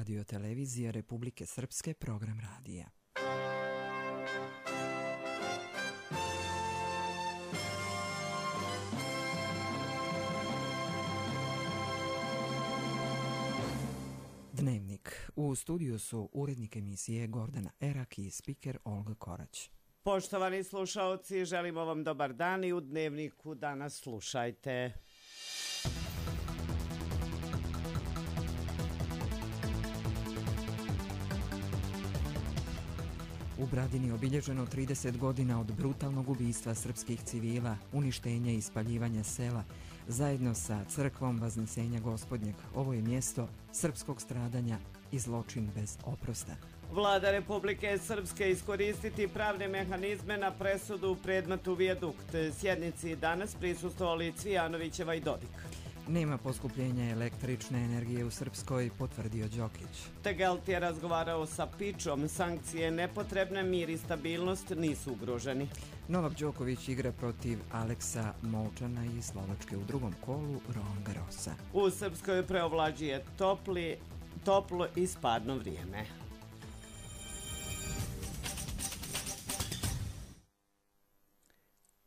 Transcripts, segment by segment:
radiotelevizije Republike Srpske, program radija. Dnevnik. U studiju su urednik emisije Gordana Erak i spiker Olga Korać. Poštovani slušaoci, želimo vam dobar dan i u Dnevniku danas slušajte. U Bradini obilježeno 30 godina od brutalnog ubistva srpskih civila, uništenja i spaljivanja sela, zajedno sa crkvom Vaznesenja Gospodnjeg. Ovo je mjesto srpskog stradanja i zločin bez oprosta. Vlada Republike Srpske iskoristiti pravne mehanizme na presudu u predmetu Vijadukt. Sjednici danas prisustvovali Cvijanovićeva i Dodik. Nema poskupljenja električne energije u Srpskoj, potvrdio Đokić. Tegelt je razgovarao sa Pičom, sankcije nepotrebne, mir i stabilnost nisu ugroženi. Novak Đoković igra protiv Aleksa Molčana iz Slovačke u drugom kolu Roland Garrosa. U Srpskoj preovlađuje toplo i spadno vrijeme.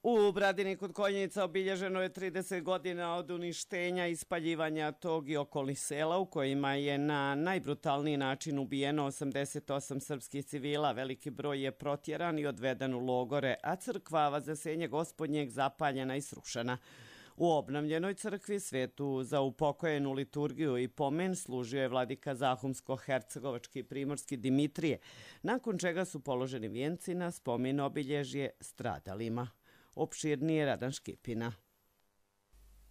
U Bradini kod Konjica obilježeno je 30 godina od uništenja i spaljivanja tog i okolnih sela u kojima je na najbrutalniji način ubijeno 88 srpskih civila. Veliki broj je protjeran i odveden u logore, a crkva Vaznesenje Gospodnjeg zapaljena i srušena. U obnovljenoj crkvi svetu za upokojenu liturgiju i pomen služio je vladika Zahumsko-hercegovački primorski Dimitrije, nakon čega su položeni vijenci na spomen obilježje stradalima. Opširnije Radan Škipina.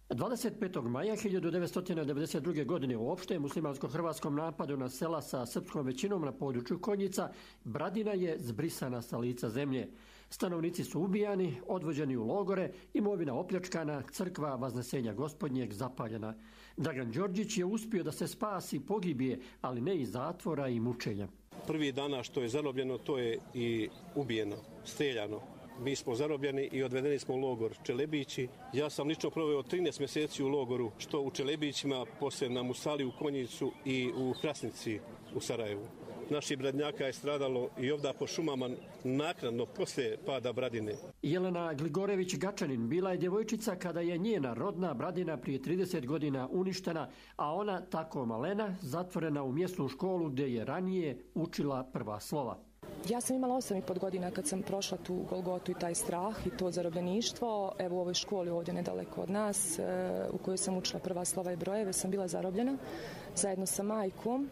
25. maja 1992. godine u opštem muslimansko-hrvatskom napadu na sela sa srpskom većinom na području Konjica, Bradina je zbrisana sa lica zemlje. Stanovnici su ubijani, odvođeni u logore, imovina opljačkana, crkva Vaznesenja Gospodnjeg zapaljena. Dragan Đorđić je uspio da se spasi pogibije, ali ne iz zatvora i mučenja. Prvi dana što je zarobljeno, to je i ubijeno, streljano. Mi smo zarobljeni i odvedeni smo u logor Čelebići. Ja sam lično proveo 13 mjeseci u logoru, što u Čelebićima, poslije na Musali u Konjicu i u Krasnici u Sarajevu. Naših Bradnjaka je stradalo i ovdje po šumama naknadno poslije pada Bradine. Jelena Gligorević-Gačanin bila je djevojčica kada je njena rodna Bradina prije 30 godina uništena, a ona, tako malena, zatvorena u mjesnu školu gdje je ranije učila prva slova. Ja sam imala 8,5 godina kad sam prošla tu Golgotu i taj strah i to zarobljeništvo. Evo u ovoj školi ovdje nedaleko od nas u kojoj sam učila prva slova i brojeve sam bila zarobljena zajedno sa majkom.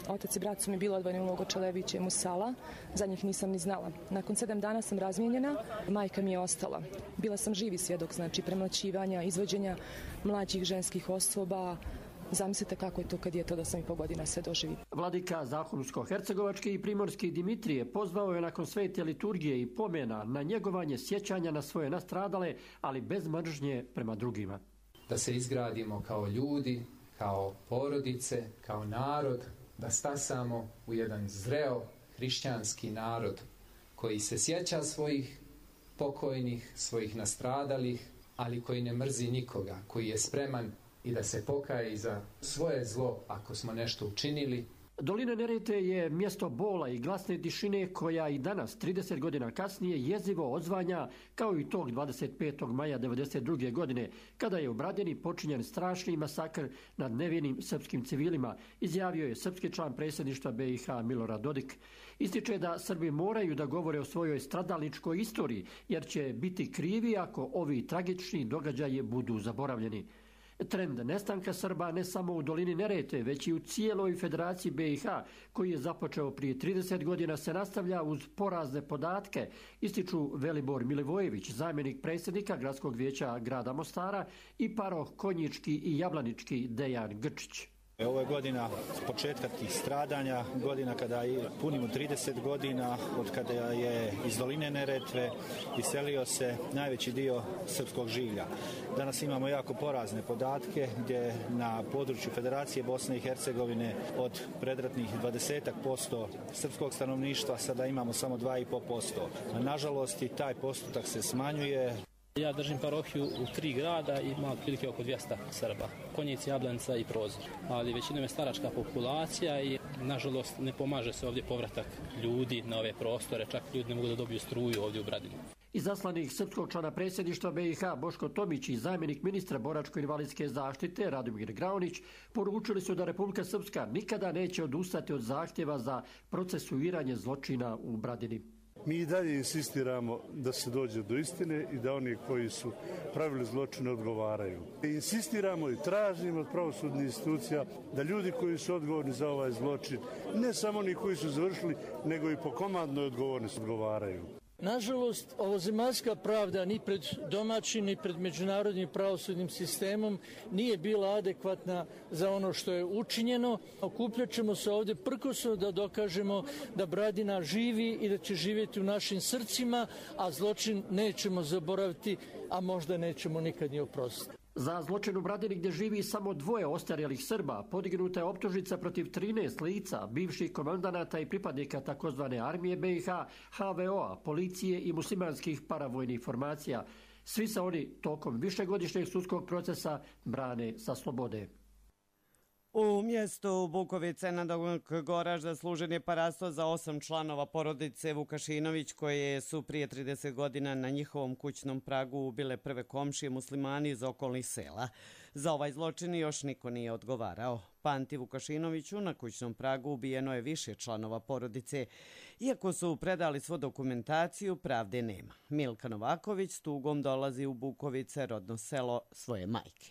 Otac i brat su mi bili odvojeni u logor Čelebiće i Musala, za njih nisam ni znala. Nakon 7 dana sam razmijenjena, majka mi je ostala. Bila sam živi svjedok, znači premlaćivanja, izvođenja mlađih ženskih osoba. Zamislite kako je to kad je to da 8,5 godina sve doživi. Vladika Zahumsko-hercegovački i primorski Dimitrije pozvao je nakon svete liturgije i pomena na njegovanje sjećanja na svoje nastradale, ali bez mržnje prema drugima. Da se izgradimo kao ljudi, kao porodice, kao narod, da stasamo u jedan zreo hrišćanski narod koji se sjeća svojih pokojnih, svojih nastradalih, ali koji ne mrzi nikoga, koji je spreman i da se pokaje za svoje zlo ako smo nešto učinili. Dolina Neretve je mjesto bola i glasne tišine koja i danas, 30 godina kasnije, jezivo odzvanja kao i tog 25. maja 1992. godine, kada je u Bradini počinjen strašni masakr nad nevinim srpskim civilima, izjavio je srpski član predsjedništva BiH Milorad Dodik. Ističe da Srbi moraju da govore o svojoj stradalničkoj istoriji, jer će biti krivi ako ovi tragični događaji budu zaboravljeni. Trend nestanka Srba ne samo u dolini Neretve, već i u cijeloj Federaciji BiH, koji je započeo prije 30 godina, se nastavlja uz porazne podatke, ističu Velibor Milivojević, zamjenik predsjednika Gradskog vijeća grada Mostara, i paroh konjički i jablanički Dejan Grčić. Ovo je godina početka tih stradanja, godina kada punimo 30 godina od kada je iz doline Neretve iselio se najveći dio srpskog življa. Danas imamo jako porazne podatke gdje na području Federacije Bosne i Hercegovine od predratnih 20% srpskog stanovništva sada imamo samo 2,5%. Nažalost i taj postotak se smanjuje. Ja držim parohiju u 3 grada i ima otprilike oko 200 Srba. Konjic, Jablanca i Prozor. Ali većinom je staračka populacija i nažalost ne pomaže se ovdje povratak ljudi na ove prostore. Čak ljudi ne mogu da dobiju struju ovdje u Bradinu. Izaslanik srpskog člana predsjedništva BiH Boško Tomić i zamjenik ministra boračko-invalidske zaštite Radomir Graunić poručili su da Republika Srpska nikada neće odustati od zahtjeva za procesuiranje zločina u Bradini. Mi i dalje insistiramo da se dođe do istine i da oni koji su pravili zločine odgovaraju. Insistiramo i tražimo od pravosudnih institucija da ljudi koji su odgovorni za ovaj zločin, ne samo oni koji su završili, nego i po komandnoj odgovornosti odgovaraju. Nažalost, ovozemaljska pravda ni pred domaćim ni pred međunarodnim pravosudnim sistemom nije bila adekvatna za ono što je učinjeno. Okupljat ćemo se ovdje prkosno da dokažemo da Bradina živi i da će živjeti u našim srcima, a zločin nećemo zaboraviti, a možda nećemo nikad ni oprostiti. Za zločin u Bradini gdje živi samo 2 ostarjelih Srba podignuta je optužnica protiv 13 lica, bivših komandanata i pripadnika takozvane armije BiH, HVO-a, policije i muslimanskih paravojnih formacija. Svi se oni tokom višegodišnjeg sudskog procesa brane sa slobode. U mjestu Bukovice na Goražda služen je parasto za 8 članova porodice Vukašinović koje su prije 30 godina na njihovom kućnom pragu ubile prve komšije muslimani iz okolnih sela. Za ovaj zločin još niko nije odgovarao. Panti Vukašinoviću na kućnom pragu ubijeno je više članova porodice. Iako su predali svu dokumentaciju, pravde nema. Milka Novaković s tugom dolazi u Bukovice, rodno selo svoje majke.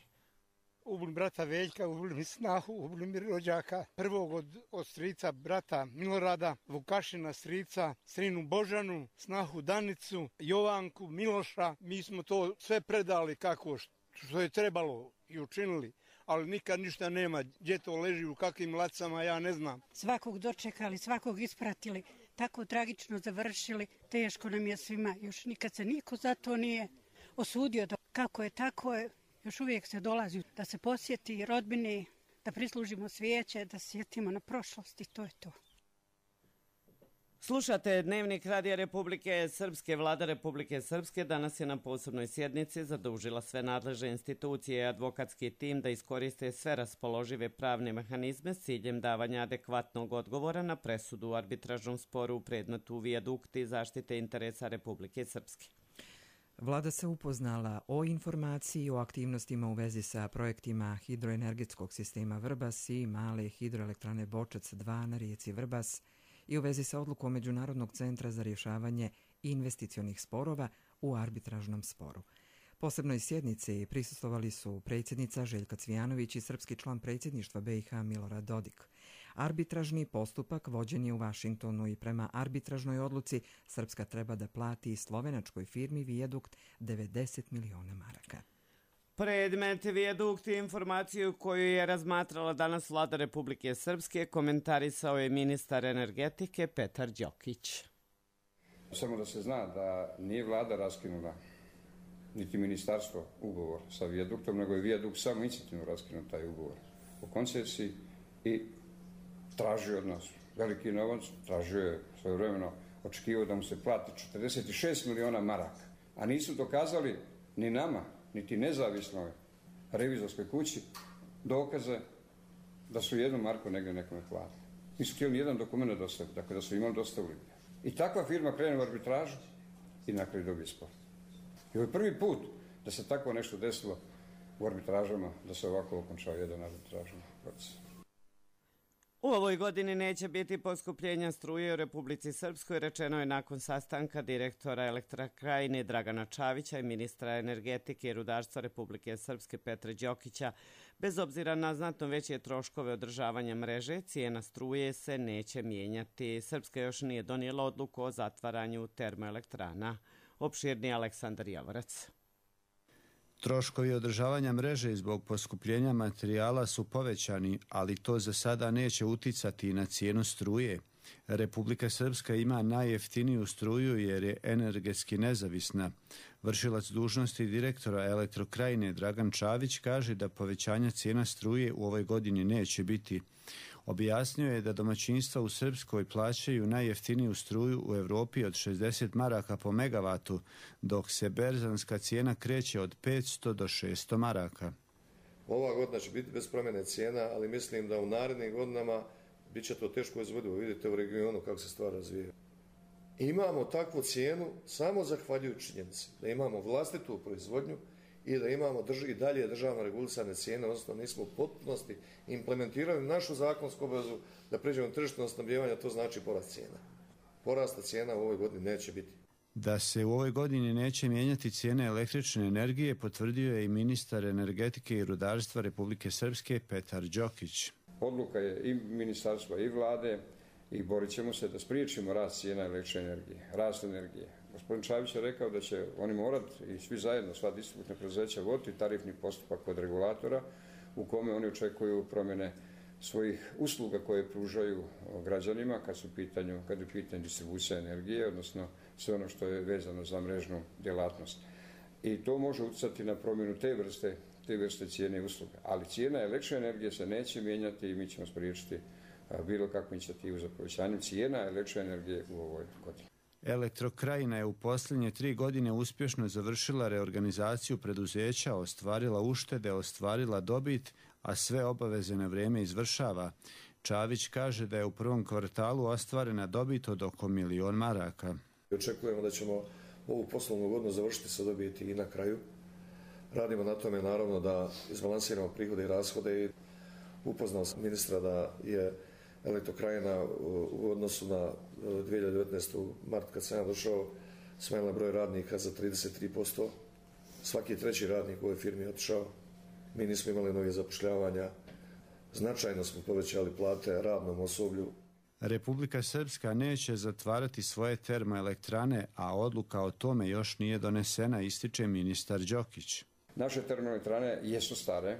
Ubili brata Veljka, ubili mi snahu, ubili mi rođaka. Prvog od strica brata Milorada, Vukašina strica, strinu Božanu, snahu Danicu, Jovanku, Miloša. Mi smo to sve predali kako što je trebalo i učinili, ali nikad ništa nema. Gdje to leži, u kakvim lacama, ja ne znam. Svakog dočekali, svakog ispratili, tako tragično završili. Teško nam je svima, još nikad se niko za to nije osudio. Kako je, tako je. Još uvijek se dolazi da se posjeti rodbini, da prislužimo svijeće, da se sjetimo na prošlost i to je to. Slušate Dnevnik Radija Republike Srpske. Vlada Republike Srpske danas je na posebnoj sjednici zadužila sve nadležne institucije i advokatski tim da iskoriste sve raspoložive pravne mehanizme s ciljem davanja adekvatnog odgovora na presudu u arbitražnom sporu u predmetu Vijadukti zaštite interesa Republike Srpske. Vlada se upoznala o informaciji o aktivnostima u vezi sa projektima hidroenergetskog sistema Vrbas i male hidroelektrane Bočac 2 na rijeci Vrbas i u vezi sa odlukom Međunarodnog centra za rješavanje investicionih sporova u arbitražnom sporu. Posebnoj sjednici prisustvovali su predsjednica Željka Cvijanović i srpski član predsjedništva BiH Milorad Dodik. Arbitražni postupak vođen je u Vašingtonu i prema arbitražnoj odluci Srpska treba da plati slovenačkoj firmi Vijadukt 90 miliona maraka. Predmet Vijadukt i informaciju koju je razmatrala danas Vlada Republike Srpske komentarisao je ministar energetike Petar Đokić. Samo da se zna da nije Vlada raskinula niti ministarstvo ugovor sa Vijaduktom, nego je Vijadukt samo inicijativno raskinuo taj ugovor o koncesiji i tražio od nas veliki novac, tražio je svojevremeno, očekivao da mu se plati 46 miliona maraka, a nisu dokazali ni nama, niti nezavisnoj revizorskoj kući dokaze da su 1 marku negdje nekome platili. Nisu htjeli nijedan dokument dostaviti, dakle da su imali dostavili. I takva firma krene u arbitražu i na kraju dobije spor. I ovo je prvi put da se tako nešto desilo u arbitražama, da se ovako okončao jedan arbitražni proces. U ovoj godini neće biti poskupljenja struje u Republici Srpskoj, rečeno je nakon sastanka direktora Elektrokrajine Dragana Čavića i ministra energetike i rudarstva Republike Srpske Petra Đokića. Bez obzira na znatno veće troškove održavanja mreže, cijena struje se neće mijenjati. Srpska još nije donijela odluku o zatvaranju termoelektrana. Opširni Aleksandar Javorac. Troškovi održavanja mreže zbog poskupljenja materijala su povećani, ali to za sada neće uticati na cijenu struje. Republika Srpska ima najjeftiniju struju jer je energetski nezavisna. Vršilac dužnosti direktora Elektrokrajine Dragan Čavić kaže da povećanja cijena struje u ovoj godini neće biti. Objasnio je da domaćinstva u Srpskoj plaćaju najjeftiniju struju u Europi od 60 maraka po megavatu, dok se berzanska cijena kreće od 500 do 600 maraka. Ova godina će biti bez promjene cijena, ali mislim da u narednim godinama bit će to teško izvodivo. Vidite u regionu kako se stvar razvija. Imamo takvu cijenu samo zahvaljujući činjenici da imamo vlastitu proizvodnju i da imamo i dalje državno regulisane cijene, odnosno nismo u potpunosti implementirali našu zakonsku obavezu da pređemo tržišno snabdijevanje, to znači porast cijena. Porasta cijena u ovoj godini neće biti. Da se u ovoj godini neće mijenjati cijene električne energije potvrdio je i ministar energetike i rudarstva Republike Srpske Petar Đokić. Odluka je i ministarstva i vlade i borit ćemo se da spriječimo rast cijena električne energije, rast energije. Gospodin Čavić je rekao da će oni morati i svi zajedno, sva distributivna preduzeća, voditi tarifni postupak kod regulatora u kome oni očekuju promjene svojih usluga koje pružaju građanima kad je u pitanju distribucija energije, odnosno sve ono što je vezano za mrežnu djelatnost. I to može utjecati na promjenu te vrste cijene i usluga. Ali cijena električne energije se neće mijenjati i mi ćemo spriječiti bilo kakvu inicijativu za povećanje cijena električne energije u ovoj godini. Elektrokrajina je u posljednje 3 godine uspješno završila reorganizaciju preduzeća, ostvarila uštede, ostvarila dobit, a sve obaveze na vrijeme izvršava. Čavić kaže da je u prvom kvartalu ostvarena dobit od oko 1 milion maraka. Očekujemo da ćemo ovu poslovnu godinu završiti sa dobiti i na kraju. Radimo na tome naravno da izbalansiramo prihode i rashode. Upoznao sam ministra da je Elektrokrajina u odnosu na 2019. mart kad sam ja došao smanjila broj radnika za 33%. Svaki treći radnik u ovoj firmi je otišao. Mi nismo imali novih zapošljavanja. Značajno smo povećali plate radnom osoblju. Republika Srpska neće zatvarati svoje termoelektrane, a odluka o tome još nije donesena, ističe ministar Đokić. Naše termoelektrane jesu stare.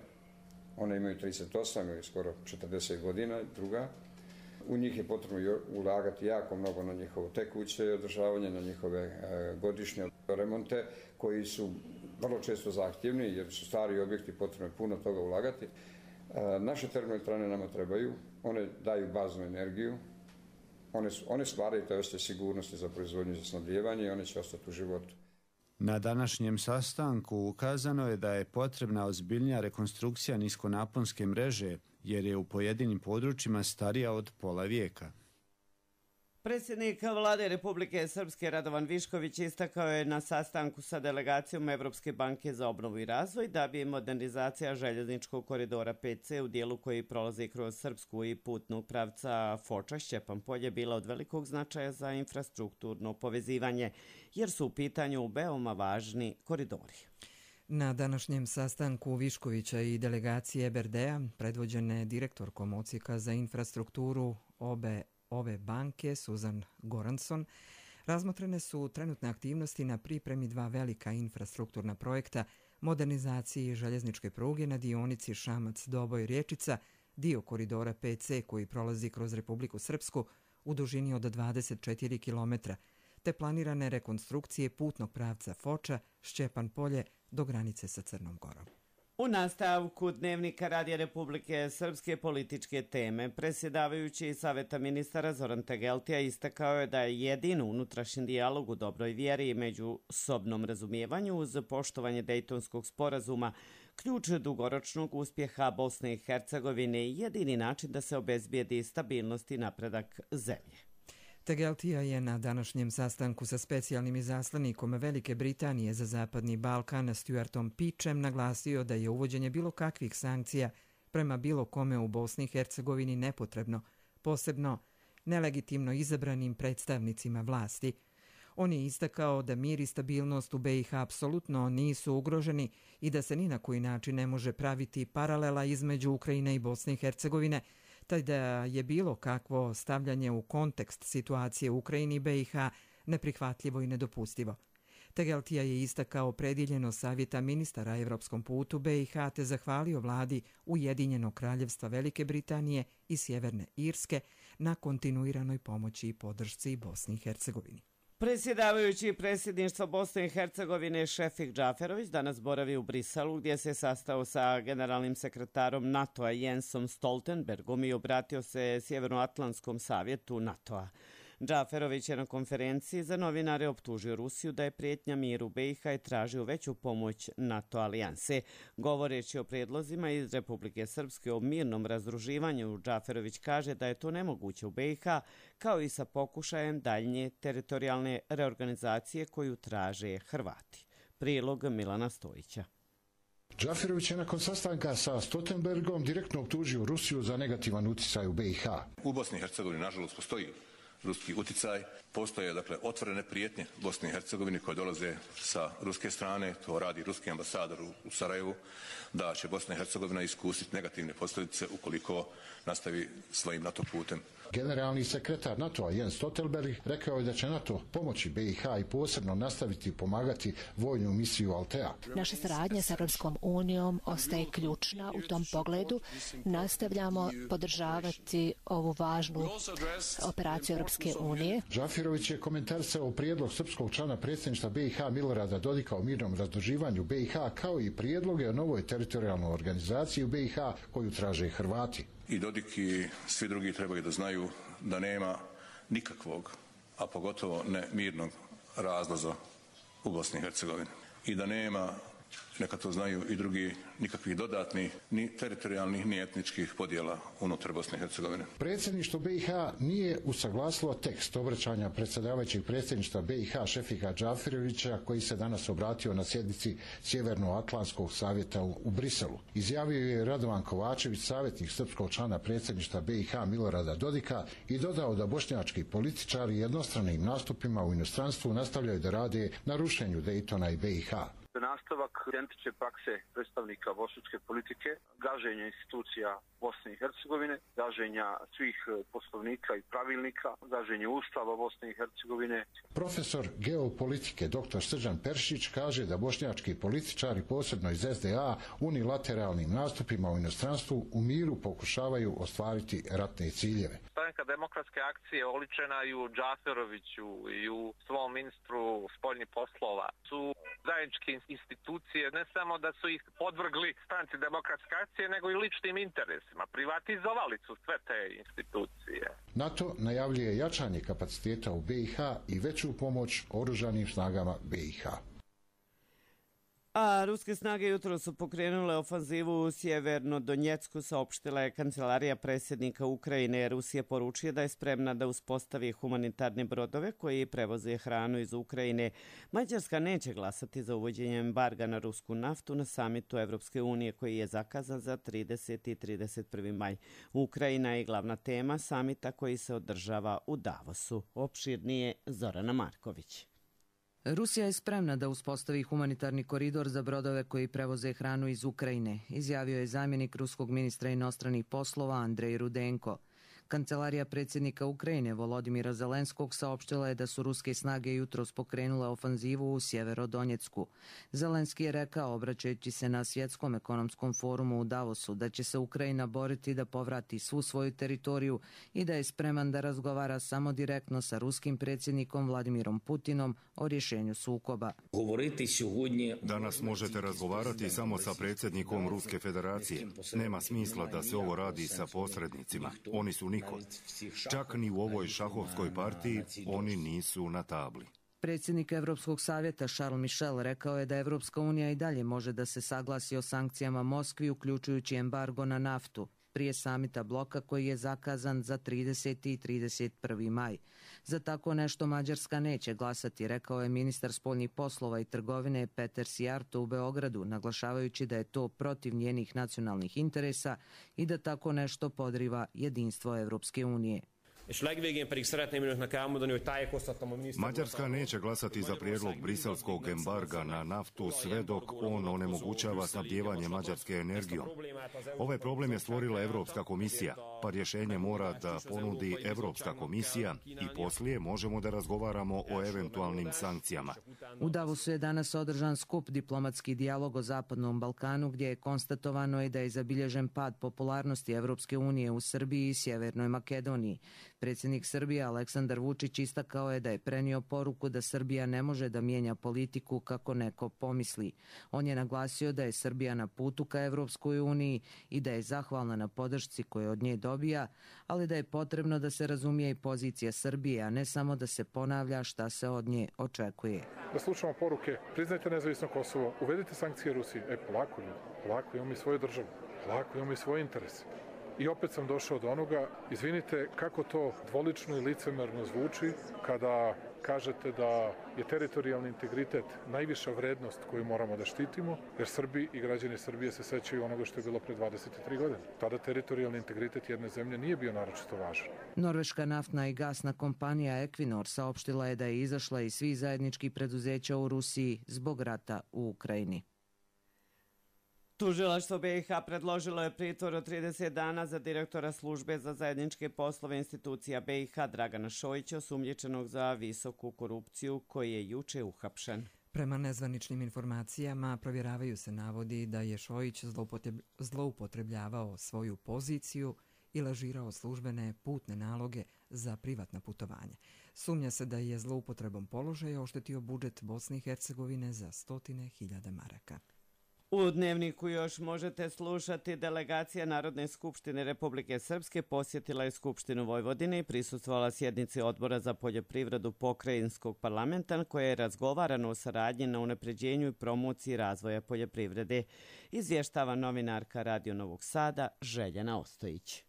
One imaju 38 ili skoro 40 godina, druga. U njih je potrebno ulagati jako mnogo na njihovo tekuće održavanje, na njihove godišnje remonte koji su vrlo često zahtjevni jer su stari objekti, potrebno je puno toga ulagati. Naše termoelektrane nama trebaju, one daju baznu energiju, one stvaraju taj osjećaj sigurnosti za proizvodnju i za snabdijevanje i one će ostati u životu. Na današnjem sastanku ukazano je da je potrebna ozbiljnija rekonstrukcija niskonaponske mreže, jer je u pojedinim područjima starija od pola vijeka. Predsjednik vlade Republike Srpske Radovan Višković istakao je na sastanku sa delegacijom Evropske banke za obnovu i razvoj da bi modernizacija željezničkog koridora 5C u dijelu koji prolazi kroz Srpsku i putnog pravca Foča-Šćepan Polje bila od velikog značaja za infrastrukturno povezivanje, jer su u pitanju veoma važni koridori. Na današnjem sastanku Viškovića i delegacije EBRD-a, predvođene direktorkom Odsjeka za infrastrukturu ove banke, Suzan Goranson, razmotrene su trenutne aktivnosti na pripremi 2 velika infrastrukturna projekta modernizaciji željezničke pruge na dionici Šamac-Doboj-Rječica, dio koridora 5C koji prolazi kroz Republiku Srpsku u dužini od 24 km, te planirane rekonstrukcije putnog pravca Foča-Šćepan Polje do granice sa Crnom Gorom. U nastavku Dnevnika Radija Republike Srpske političke teme, predsjedavajući Saveta ministara Zoran Tegeltija istakao je da je jedin unutrašnji dijalog u dobroj vjeri i međusobnom razumijevanju uz poštovanje Dejtonskog sporazuma ključ dugoročnog uspjeha Bosne i Hercegovine i jedini način da se obezbijedi stabilnost i napredak zemlje. Tegeltija je na današnjem sastanku sa specijalnim izaslanikom Velike Britanije za Zapadni Balkan Stuartom Peachem naglasio da je uvođenje bilo kakvih sankcija prema bilo kome u Bosni i Hercegovini nepotrebno, posebno nelegitimno izabranim predstavnicima vlasti. On je istakao da mir i stabilnost u BiH apsolutno nisu ugroženi i da se ni na koji način ne može praviti paralela između Ukrajine i Bosne i Hercegovine, taj da je bilo kakvo stavljanje u kontekst situacije u Ukrajini i BiH neprihvatljivo i nedopustivo. Tegeltija je istakao prediljenost Savjeta ministara Evropskom putu BiH te zahvalio vladi Ujedinjenog kraljevstva Velike Britanije i Sjeverne Irske na kontinuiranoj pomoći i podršci Bosni i Hercegovini. Predsjedavajući predsjedništva Bosne i Hercegovine Šefik Džaferović danas boravi u Briselu gdje se sastao sa generalnim sekretarom NATO-a Jensom Stoltenbergom i obratio se Sjevernoatlantskom savjetu NATO-a. Džaferović je na konferenciji za novinare optužio Rusiju da je prijetnja miru BiH i tražio veću pomoć NATO alijanse. Govoreći o prijedlozima iz Republike Srpske o mirnom razdruživanju, Džaferović kaže da je to nemoguće u BiH, kao i sa pokušajem daljnje teritorijalne reorganizacije koju traže Hrvati. Prilog Milana Stojića. Džaferović je nakon sastanka sa Stoltenbergom direktno optužio Rusiju za negativan utjecaj u BiH. U Bosni i Hercegovini nažalost postoji ruski utjecaj. Postoje dakle otvorene prijetnje Bosni i Hercegovini koje dolaze sa ruske strane, to radi ruski ambasador u Sarajevu, da će Bosna i Hercegovina iskusiti negativne posljedice ukoliko nastavi svojim NATO putem. Generalni sekretar NATO-a Jens Stoltenberg rekao je da će NATO pomoći BiH i posebno nastaviti pomagati vojnu misiju Altea. Naša saradnja s Europskom unijom ostaje ključna u tom pogledu. Nastavljamo podržavati ovu važnu operaciju Europske unije. Džaferović je komentarisao prijedlog srpskog člana predsjedništva BiH Milorada Dodika o mirnom razdruživanju BiH kao i prijedloge o novoj teritorijalnoj organizaciji u BiH koju traže Hrvati. I Dodik i svi drugi trebaju da znaju da nema nikakvog, a pogotovo ne mirnog razlaza u Bosni i Hercegovini. I da nema, neka to znaju i drugi, nikakvih dodatnih, ni teritorijalnih, ni etničkih podjela unutar Bosne i Hercegovine. Predsjedništvo BiH nije usaglasilo tekst obraćanja predsjedavajućeg predsjedništva BiH Šefika Džaferovića koji se danas obratio na sjednici Sjevernoatlantskog savjeta u Briselu. Izjavio je Radovan Kovačević, savjetnik srpskog člana predsjedništva BiH Milorada Dodika i dodao da bošnjački političari jednostranim nastupima u inostranstvu nastavljaju da rade na rušenju Dejtona i BiH. Nastavak identične prakse predstavnika bošnjačke politike, gaženja institucija Bosne i Hercegovine, gaženja svih poslovnika i pravilnika, gaženje Ustava Bosne i Hercegovine. Profesor geopolitike dr. Srđan Peršić kaže da bošnjački političari, posebno iz SDA, unilateralnim nastupima u inostranstvu u miru pokušavaju ostvariti ratne ciljeve. Stranka demokratske akcije oličena i u Džaferoviću i u svom ministru spoljnih poslova su zajedničke institucije, ne samo da su ih podvrgli stranci demokratske akcije, nego i ličnim interesima. Privatizovali su sve te institucije. NATO najavljuje jačanje kapaciteta u BiH i veću pomoć oružanim snagama BiH. A ruske snage jutro su pokrenule ofanzivu u Sjeverno Donjecku, saopštila je kancelarija predsjednika Ukrajine. Rusija poručuje da je spremna da uspostavi humanitarne brodove koji prevoze hranu iz Ukrajine. Mađarska neće glasati za uvođenje embarga na rusku naftu na samitu Evropske unije koji je zakazan za 30. i 31. maj. Ukrajina je glavna tema samita koji se održava u Davosu. Opširnije Zorana Marković. Rusija je spremna da uspostavi humanitarni koridor za brodove koji prevoze hranu iz Ukrajine, izjavio je zamjenik ruskog ministra inostranih poslova Andrej Rudenko. Kancelarija predsjednika Ukrajine Volodimira Zelenskog saopštila je da su ruske snage jutros pokrenule ofanzivu u Sjeverodonjecku. Zelenski je rekao, obraćajući se na Svjetskom ekonomskom forumu u Davosu, da će se Ukrajina boriti da povrati svu svoju teritoriju i da je spreman da razgovara samo direktno sa ruskim predsjednikom Vladimirom Putinom o rješenju sukoba. Danas možete razgovarati samo sa predsjednikom Ruske federacije. Nema smisla da se ovo radi sa posrednicima. Oni su niko. Čak ni u ovoj šahovskoj partiji oni nisu na tabli. Predsjednik Evropskog savjeta Charles Michel rekao je da Evropska unija i dalje može da se saglasi o sankcijama Moskvi, uključujući embargo na naftu, prije samita bloka koji je zakazan za 30. i 31. maj. Za tako nešto Mađarska neće glasati, rekao je ministar spoljnih poslova i trgovine Peter Sijarto u Beogradu, naglašavajući da je to protiv njenih nacionalnih interesa i da tako nešto podriva jedinstvo Evropske unije. Mađarska neće glasati za prijedlog briselskog embarga na naftu sve dok on onemogućava snabdijevanje Mađarske energijom. Ovaj problem je stvorila Evropska komisija, pa rješenje mora da ponudi Evropska komisija i poslije možemo da razgovaramo o eventualnim sankcijama. U Davosu je danas održan skup diplomatski dijalog o Zapadnom Balkanu gdje je konstatovano da je zabilježen pad popularnosti Evropske unije u Srbiji i Sjevernoj Makedoniji. Predsjednik Srbije Aleksandar Vučić istakao je da je prenio poruku da Srbija ne može da mijenja politiku kako neko pomisli. On je naglasio da je Srbija na putu ka Evropskoj uniji i da je zahvalna na podršci koju od nje dobija, ali da je potrebno da se razumije i pozicija Srbije, a ne samo da se ponavlja šta se od nje očekuje. Da slušamo poruke, priznajte nezavisno Kosovo, uvedite sankcije Rusiji. Polako ljudi, polako, imamo i svoju državu, polako, imamo i svoje interese. I opet sam došao do onoga, izvinite, kako to dvolično i licemerno zvuči kada kažete da je teritorijalni integritet najviša vrednost koju moramo da štitimo, jer Srbi i građani Srbije se sećaju onoga što je bilo pre 23 godine. Tada teritorijalni integritet jedne zemlje nije bio naročito važan. Norveška naftna i gasna kompanija Equinor saopštila je da je izašla iz svih zajedničkih preduzeća u Rusiji zbog rata u Ukrajini. Tužilaštvo BiH predložilo je pritvor od 30 dana za direktora službe za zajedničke poslove institucija BiH Dragana Šojića, osumnjičenog za visoku korupciju, koji je juče uhapšen. Prema nezvaničnim informacijama provjeravaju se navodi da je Šojić zloupotrebljavao svoju poziciju i lažirao službene putne naloge za privatna putovanja. Sumnja se da je zloupotrebom položaja oštetio budžet Bosne i Hercegovine za 100.000 maraka. U Dnevniku još možete slušati. Delegacija Narodne skupštine Republike Srpske posjetila je Skupštinu Vojvodine i prisustvovala sjednici Odbora za poljoprivredu Pokrajinskog parlamenta, koje je razgovarano o saradnji na unapređenju i promociji razvoja poljoprivrede, izvještava novinarka Radio Novog Sada Željana Ostojić.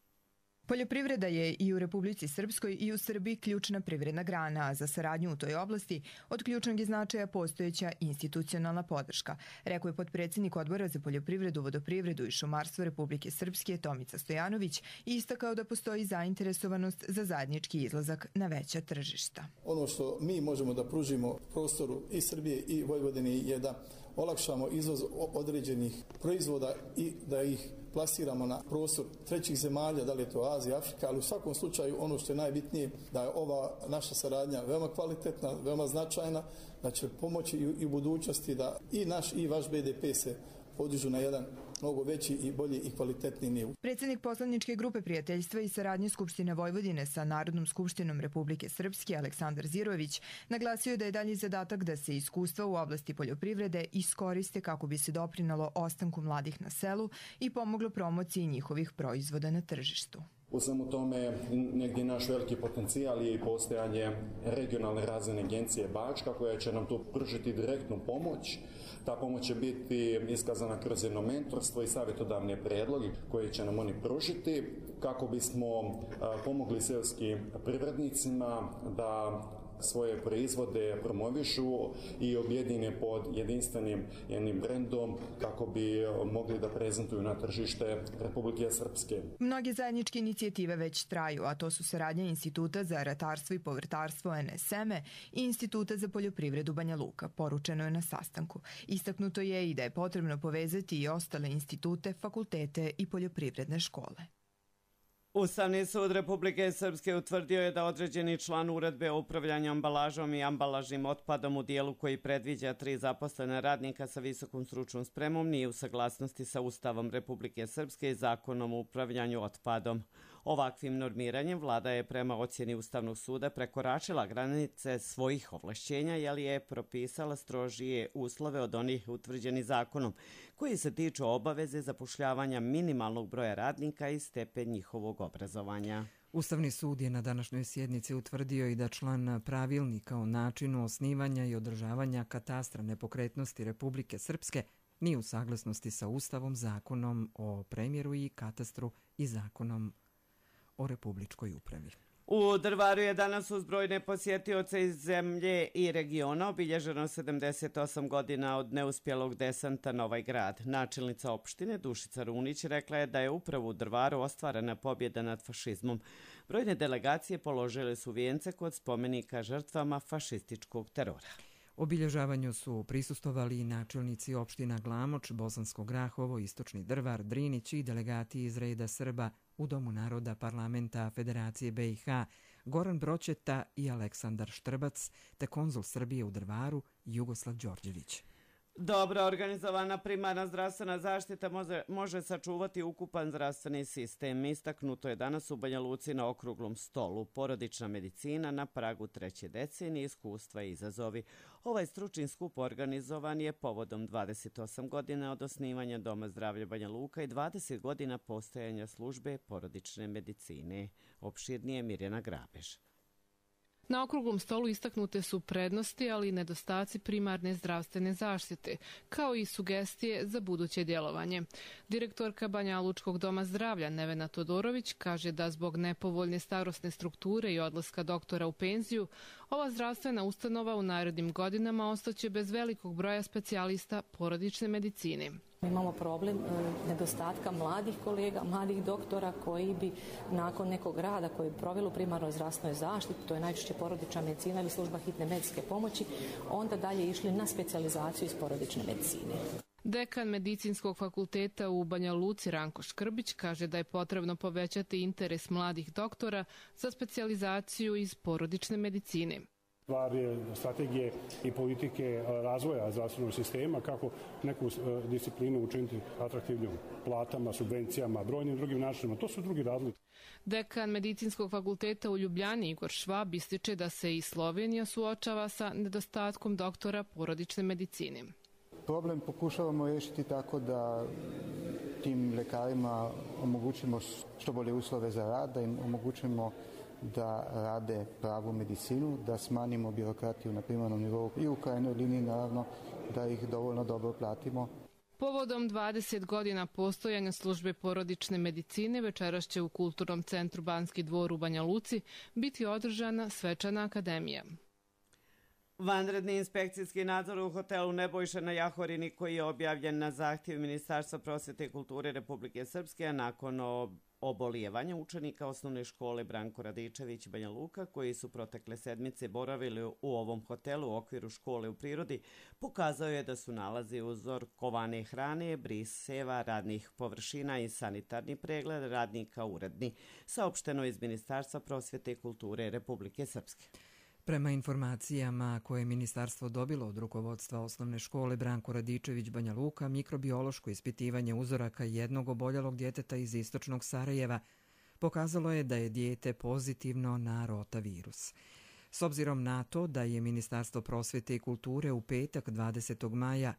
Poljoprivreda je i u Republici Srpskoj i u Srbiji ključna privredna grana, a za saradnju u toj oblasti od ključnog je značaja postojeća institucionalna podrška, rekao je potpredsjednik Odbora za poljoprivredu, vodoprivredu i šumarstvo Republike Srpske Tomica Stojanović i istakao da postoji zainteresovanost za zajednički izlazak na veća tržišta. Ono što mi možemo da pružimo prostoru i Srbije i Vojvodine je da olakšamo izvoz određenih proizvoda i da ih plasiramo na prostor trećih zemalja, da li je to Azija, Afrika, ali u svakom slučaju ono što je najbitnije da je ova naša saradnja veoma kvalitetna, veoma značajna, da će pomoći i u budućnosti da i naš i vaš BDP se podižu na jedan mnogo veći i bolji i kvalitetniji nivo. Predsjednik poslaničke grupe prijateljstva i saradnje Skupštine Vojvodine sa Narodnom skupštinom Republike Srpske Aleksandar Zirović naglasio je da je dalji zadatak da se iskustva u oblasti poljoprivrede iskoriste kako bi se doprinalo ostanku mladih na selu i pomoglo promociji njihovih proizvoda na tržištu. U svemu tome negdje naš veliki potencijal je i postojanje regionalne razvojne agencije Bačka koja će nam tu pružiti direktnu pomoć. Ta pomoć će biti iskazana kroz jedno mentorstvo i savjetodavne predloge koje će nam oni pružiti kako bismo pomogli selskim privrednicima da svoje proizvode promovišu i objedine pod jedinstvenim jednim brendom kako bi mogli da prezentuju na tržište Republike Srpske. Mnoge zajedničke inicijative već traju, a to su saradnja Instituta za ratarstvo i povrtarstvo NSM-e i Instituta za poljoprivredu Banja Luka, poručeno je na sastanku. Istaknuto je i da je potrebno povezati i ostale institute, fakultete i poljoprivredne škole. Ustavni sud Republike Srpske utvrdio je da određeni član uredbe o upravljanju ambalažom i ambalažnim otpadom u dijelu koji predviđa 3 zaposlene radnika sa visokom stručnom spremom nije u saglasnosti sa Ustavom Republike Srpske i Zakonom o upravljanju otpadom. Ovakvim normiranjem vlada je prema ocjeni Ustavnog suda prekoračila granice svojih ovlašćenja, jer je propisala strožije uslove od onih utvrđenih zakonom, koji se tiču obaveze zapošljavanja minimalnog broja radnika i stepen njihovog obrazovanja. Ustavni sud je na današnjoj sjednici utvrdio i da član pravilnika o načinu osnivanja i održavanja katastra nepokretnosti Republike Srpske nije u saglasnosti sa Ustavom, Zakonom o premjeru i katastru i Zakonom o republičkoj upravi. U Drvaru je danas uz brojne posjetioce iz zemlje i regiona obilježeno 78 godina od neuspjelog desanta na ovaj grad. Načelnica opštine Dušica Runić rekla je da je upravo u Drvaru ostvarena pobjeda nad fašizmom. Brojne delegacije položile su vijence kod spomenika žrtvama fašističkog terora. Obilježavanju su prisustovali i načelnici opština Glamoč, Bosansko Grahovo, Istočni Drvar, Drinić i delegati iz reda Srba u Domu naroda Parlamenta Federacije BiH Goran Broćeta i Aleksandar Štrbac, te konzul Srbije u Drvaru Jugoslav Đorđević. Dobro organizovana primarna zdravstvena zaštita može sačuvati ukupan zdravstveni sistem. Istaknuto je danas u Banja Luci na okruglom stolu. Porodična medicina na pragu 3. decenije, iskustva i izazovi. Ovaj stručni skup organizovan je povodom 28 godina od osnivanja Doma zdravlja Banja Luka i 20 godina postojanja službe porodične medicine. Opširnije Mirjana Grabež. Na okruglom stolu istaknute su prednosti, ali i nedostaci primarne zdravstvene zaštite, kao i sugestije za buduće djelovanje. Direktorka Banja Lučkog doma zdravlja Nevena Todorović kaže da zbog nepovoljne starosne strukture i odlaska doktora u penziju, ova zdravstvena ustanova u narednim godinama ostaće bez velikog broja specijalista porodične medicine. Imamo problem nedostatka mladih kolega, mladih doktora koji bi nakon nekog rada koji bi proveli u primarnoj zdravstvenoj zaštiti, to je najčešće porodična medicina ili služba hitne medicinske pomoći, onda dalje išli na specijalizaciju iz porodične medicine. Dekan Medicinskog fakulteta u Banja Luci Ranko Škrbić kaže da je potrebno povećati interes mladih doktora za specijalizaciju iz porodične medicine. Stvar je strategije i politike razvoja zdravstvenog sistema, kako neku disciplinu učiniti atraktivnijom, platama, subvencijama, brojnim drugim načinima. To su drugi razlozi. Dekan Medicinskog fakulteta u Ljubljani Igor Švab ističe da se i Slovenija suočava sa nedostatkom doktora porodične medicine. Problem pokušavamo riješiti tako da tim lekarima omogućimo što bolje uslove za rad, da im omogućimo da rade pravu medicinu, da smanjimo birokratiju na primarnom nivou i u krajnjoj liniji naravno da ih dovoljno dobro platimo. Povodom 20 godina postojanja službe porodične medicine večeras će u Kulturnom centru Banski dvor u Banja Luci biti održana svečana akademija. Vanredni inspekcijski nadzor u hotelu Nebojša na Jahorini koji je objavljen na zahtjev Ministarstva prosvjete i kulture Republike Srpske, a nakon obolijevanja učenika osnovne škole Branko Radičević Banja Luka, koji su protekle sedmice boravili u ovom hotelu u okviru škole u prirodi, pokazao je da su nalazi uzorkovane hrane, briseva, radnih površina i sanitarni pregled radnika uredni, saopšteno iz Ministarstva prosvjete i kulture Republike Srpske. Prema informacijama koje je ministarstvo dobilo od rukovodstva osnovne škole Branko Radičević Banja Luka, mikrobiološko ispitivanje uzoraka jednog oboljelog djeteta iz istočnog Sarajeva pokazalo je da je dijete pozitivno na rotavirus. S obzirom na to da je Ministarstvo prosvjete i kulture u petak 20. maja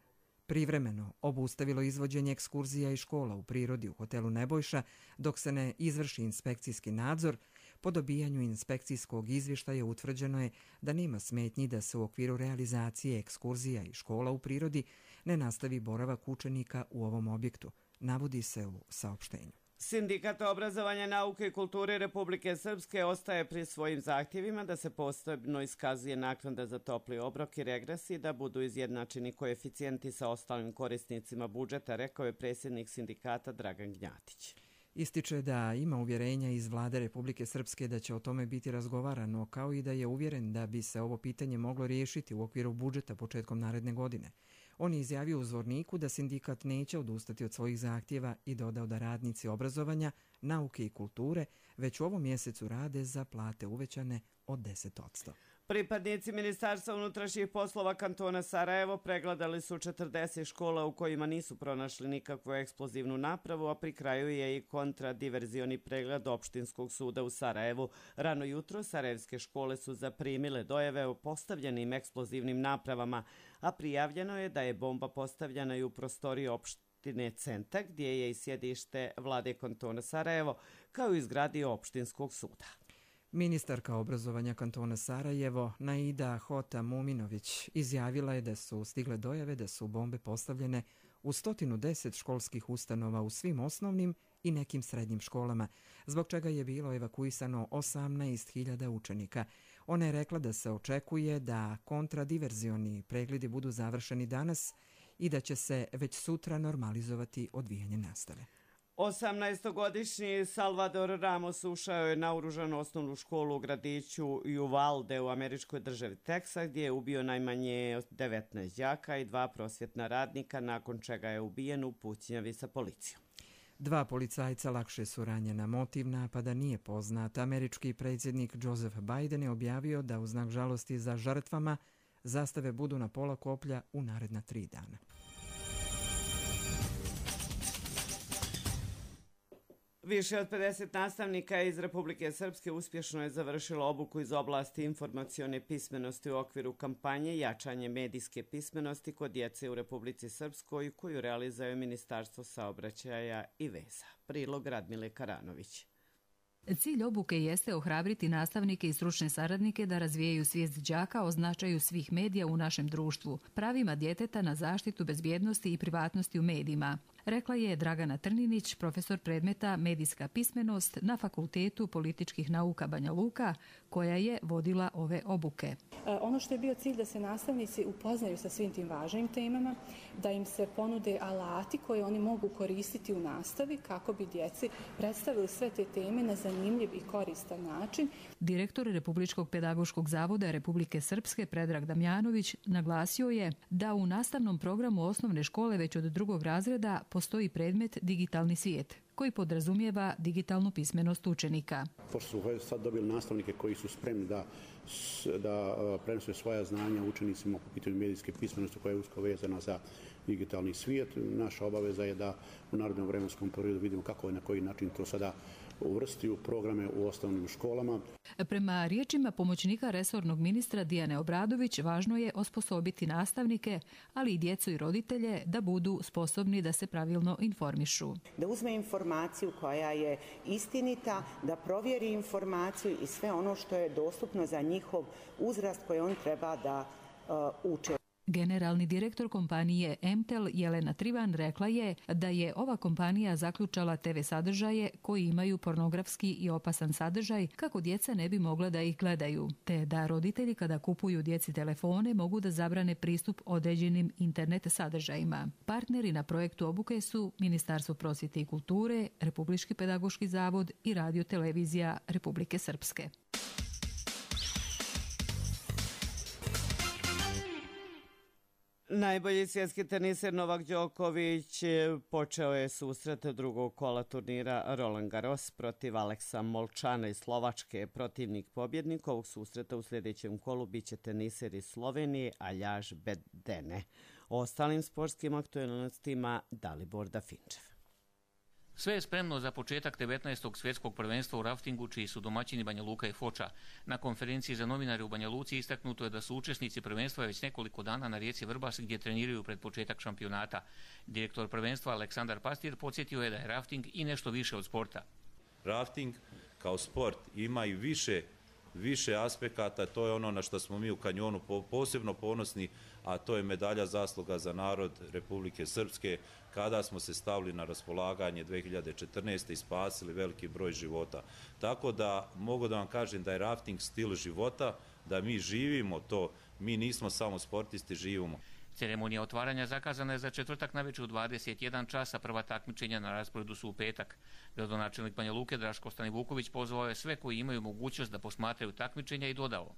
privremeno obustavilo izvođenje ekskurzija i škola u prirodi u hotelu Nebojša dok se ne izvrši inspekcijski nadzor, po dobijanju inspekcijskog izvještaja utvrđeno je da nema smetnji da se u okviru realizacije ekskurzija i škola u prirodi ne nastavi boravak učenika u ovom objektu, navodi se u saopštenju. Sindikat obrazovanja, nauke i kulture Republike Srpske ostaje pri svojim zahtjevima da se posebno iskazuje naknada za topli obrok i regres i da budu izjednačeni koeficijenti sa ostalim korisnicima budžeta, rekao je predsjednik sindikata Dragan Gnjatić. Ističe da ima uvjerenja iz vlade Republike Srpske da će o tome biti razgovarano, kao i da je uvjeren da bi se ovo pitanje moglo riješiti u okviru budžeta početkom naredne godine. On je izjavio u Zvorniku da sindikat neće odustati od svojih zahtjeva i dodao da radnici obrazovanja, nauke i kulture već u ovom mjesecu rade za plate uvećane od 10%. Pripadnici Ministarstva unutrašnjih poslova kantona Sarajevo pregledali su 40 škola u kojima nisu pronašli nikakvu eksplozivnu napravu, a pri kraju je i kontradiverzioni pregled opštinskog suda u Sarajevu. Rano jutro sarajevske škole su zaprimile dojave o postavljenim eksplozivnim napravama, a prijavljeno je da je bomba postavljena i u prostoriji opštine Centa, gdje je i sjedište vlade kantona Sarajevo, kao i zgradi opštinskog suda. Ministarka obrazovanja kantona Sarajevo, Naida Hota Muminović, izjavila je da su stigle dojave da su bombe postavljene u 110 školskih ustanova u svim osnovnim i nekim srednjim školama, zbog čega je bilo evakuisano 18.000 učenika. Ona je rekla da se očekuje da kontradiverzioni pregledi budu završeni danas i da će se već sutra normalizovati odvijanje nastave. 18-godišnji Salvador Ramos ušao je na naoružanu osnovnu školu u gradiću Uvalde u američkoj državi Teksas, gdje je ubio najmanje 19 đaka i 2 prosvjetna radnika, nakon čega je ubijen u pucnjavi sa policijom. 2 policajca lakše su ranjena. Motiv napada nije poznat. Američki predsjednik Joseph Biden je objavio da u znak žalosti za žrtvama Zastave budu na pola koplja u naredna 3 dana. Više od 50 nastavnika iz Republike Srpske uspješno je završilo obuku iz oblasti informacione pismenosti u okviru kampanje Jačanje medijske pismenosti kod djece u Republici Srpskoj koju realizuje Ministarstvo saobraćaja i veza. Prilog Radmile Karanović. Cilj obuke jeste ohrabriti nastavnike i stručne saradnike da razvijaju svijest đaka o značaju svih medija u našem društvu, pravima djeteta na zaštitu bezbjednosti i privatnosti u medijima, rekla je Dragana Trninić, profesor predmeta Medijska pismenost na Fakultetu političkih nauka Banja Luka, koja je vodila ove obuke. Ono što je bio cilj da se nastavnici upoznaju sa svim tim važnim temama, da im se ponude alati koje oni mogu koristiti u nastavi kako bi djeci predstavili sve te teme na zanimljiv i koristan način. Direktor Republičkog pedagoškog zavoda Republike Srpske Predrag Damjanović naglasio je da u nastavnom programu osnovne škole već od 2. razreda postoji predmet Digitalni svijet, koji podrazumijeva digitalnu pismenost učenika. Pošto su sad dobili nastavnike koji su spremni da prenose svoja znanja učenicima po pitanju medijske pismenosti koja je usko vezana za digitalni svijet, naša obaveza je da u narednom vremenskom periodu vidimo kako i na koji način to sada uvrsti u programe u osnovnim školama. Prema riječima pomoćnika resornog ministra Dijane Obradović, važno je osposobiti nastavnike, ali i djecu i roditelje da budu sposobni da se pravilno informišu. Da uzme informaciju koja je istinita, da provjeri informaciju i sve ono što je dostupno za njihov uzrast koji on treba da uče. Generalni direktor kompanije MTEL Jelena Trivan rekla je da je ova kompanija zaključala TV sadržaje koji imaju pornografski i opasan sadržaj kako djeca ne bi mogla da ih gledaju, te da roditelji kada kupuju djeci telefone mogu da zabrane pristup određenim internet sadržajima. Partneri na projektu obuke su Ministarstvo prosvjete i kulture, Republički pedagoški zavod i Radio televizija Republike Srpske. Najbolji svjetski teniser Novak Đoković počeo je susret drugog kola turnira Roland Garros protiv Aleksa Molčana iz Slovačke. Protivnik pobjednik ovog susreta u sljedećem kolu biće teniser iz Slovenije Aljaž Bedene. O ostalim sportskim aktualnostima Dalibor Dafinčev. Sve je spremno za početak 19. svjetskog prvenstva u raftingu, čiji su domaćini Banja Luka i Foča. Na konferenciji za novinare u Banja Luci istaknuto je da su učesnici prvenstva već nekoliko dana na rijeci Vrbas gdje treniraju pred početak šampionata. Direktor prvenstva Aleksandar Pastir podsjetio je da je rafting i nešto više od sporta. Rafting kao sport ima i više aspekata, to je ono na što smo mi u kanjonu posebno ponosni, a to je medalja zasluga za narod Republike Srpske, kada smo se stavili na raspolaganje 2014. i spasili veliki broj života. Tako da mogu da vam kažem da je rafting stil života, da mi živimo to, mi nismo samo sportisti, živimo. Ceremonija otvaranja zakazana je za četvrtak navečer u 21 časa, prva takmičenja na rasporedu su u petak. Gradonačelnik Banja Luke Draško Stanivuković pozvao je sve koji imaju mogućnost da posmatraju takmičenja i dodao.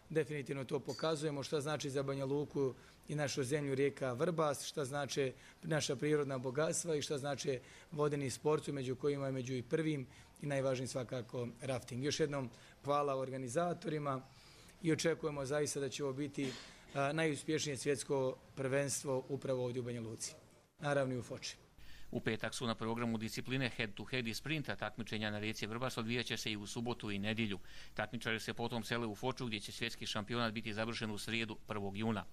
Definitivno to pokazujemo šta znači za Banja Luku i našu zemlju rijeka Vrbas, šta znači naša prirodna bogatstva i šta znači vodeni sportu, među kojima je među i prvim i najvažniji svakako rafting. Još jednom hvala organizatorima i očekujemo zaista da će ovo biti najuspješnije svjetsko prvenstvo upravo ovdje u Banja Luci, naravno i u Foči. U petak su na programu discipline head-to-head i sprinta. Takmičenja na rijeci Vrbas odvijaće se i u subotu i nedjelju. Takmičari se potom sele u Foču gdje će svjetski šampionat biti završen u srijedu 1. juna.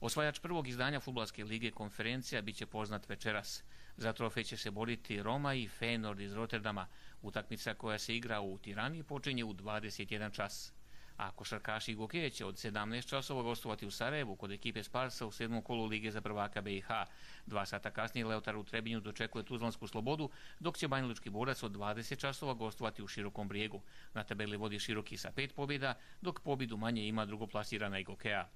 Osvajač prvog izdanja Fudbalske lige Konferencija biće poznat večeras. Za trofej će se boriti Roma i Feyenoord iz Rotterdama. Utakmica koja se igra u Tirani počinje u 21 čas. A košarkaši Gokeje će od 17 časova gostovati u Sarajevu kod ekipe Sparsa u 7. kolu Lige za prvaka BiH. 2 sata kasnije Leotar u Trebinju dočekuje Tuzlansku Slobodu, dok će Banjalučki Borac od 20 časova gostovati u Širokom Brijegu. Na tabeli vodi Široki sa 5 pobjeda, dok pobjedu manje ima drugoplasirana i Gokeja.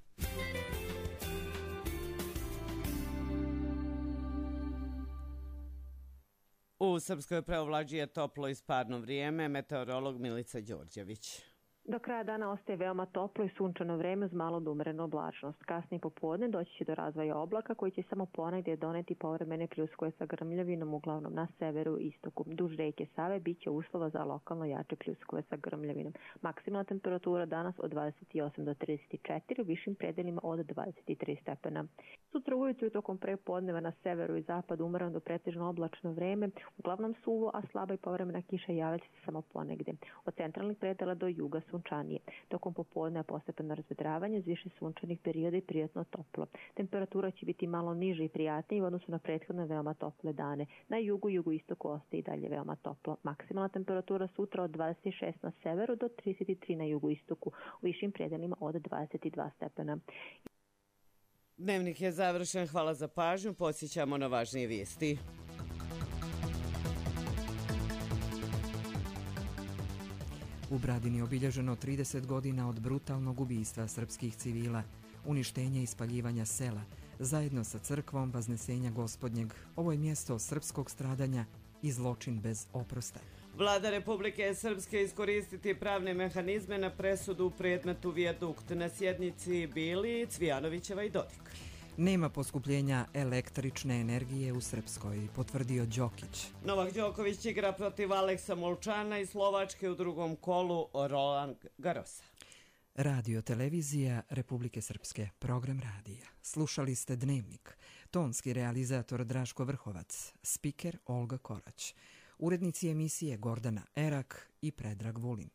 U Srpskoj preovlađuje toplo i sparno vrijeme, meteorolog Milica Đorđević. Do kraja dana ostaje veoma toplo i sunčano vreme uz malo do umerenu oblačnost. Kasnije popodne doći će do razvoja oblaka koji će samo ponegdje doneti povremene pljuskove sa grmljavinom, uglavnom na severu i istoku. Duž reke Save bit će uslova za lokalno jače pljuskove sa grmljavinom. Maksimalna temperatura danas od 28 do 34, u višim predelima od 23 stepena. Sutra ujutru tokom prepodneva na severu i zapadu umereno do pretežno oblačno vreme, uglavnom suvo, a slaba i povremena kiša javlja će se samo ponegdje. Od centralnih predela do juga sunčanije. Tokom popodne postepeno razvedravanje uz više sunčanih perioda i prijatno toplo. Temperatura će biti malo niže i prijatnije u odnosu na prethodne veoma tople dane. Na jugu i jugoistoku ostaje i dalje veoma toplo. Maksimalna temperatura sutra od 26 na severu do 33 na jugoistoku, u višim predelima od 22 stepena. Dnevnik je završen. Hvala za pažnju. Podsjećamo na važnije vijesti. U Bradini obilježeno 30 godina od brutalnog ubistva srpskih civila, uništenja i spaljivanja sela, zajedno sa crkvom Vaznesenja Gospodnjeg. Ovo je mjesto srpskog stradanja i zločin bez oprosta. Vlada Republike Srpske iskoristiti pravne mehanizme na presudu u predmetu Vijadukt. Na sjednici bili Cvijanovićeva i Dodik. Nema poskupljenja električne energije u Srpskoj, potvrdio Đokić. Novak Đoković igra protiv Aleksa Molčana i Slovačke u drugom kolu Roland Garrosa. Radio televizija Republike Srpske, program radija. Slušali ste Dnevnik. Tonski realizator Draško Vrhovac, spiker Olga Korać. Urednici emisije Gordana Erak i Predrag Vulin.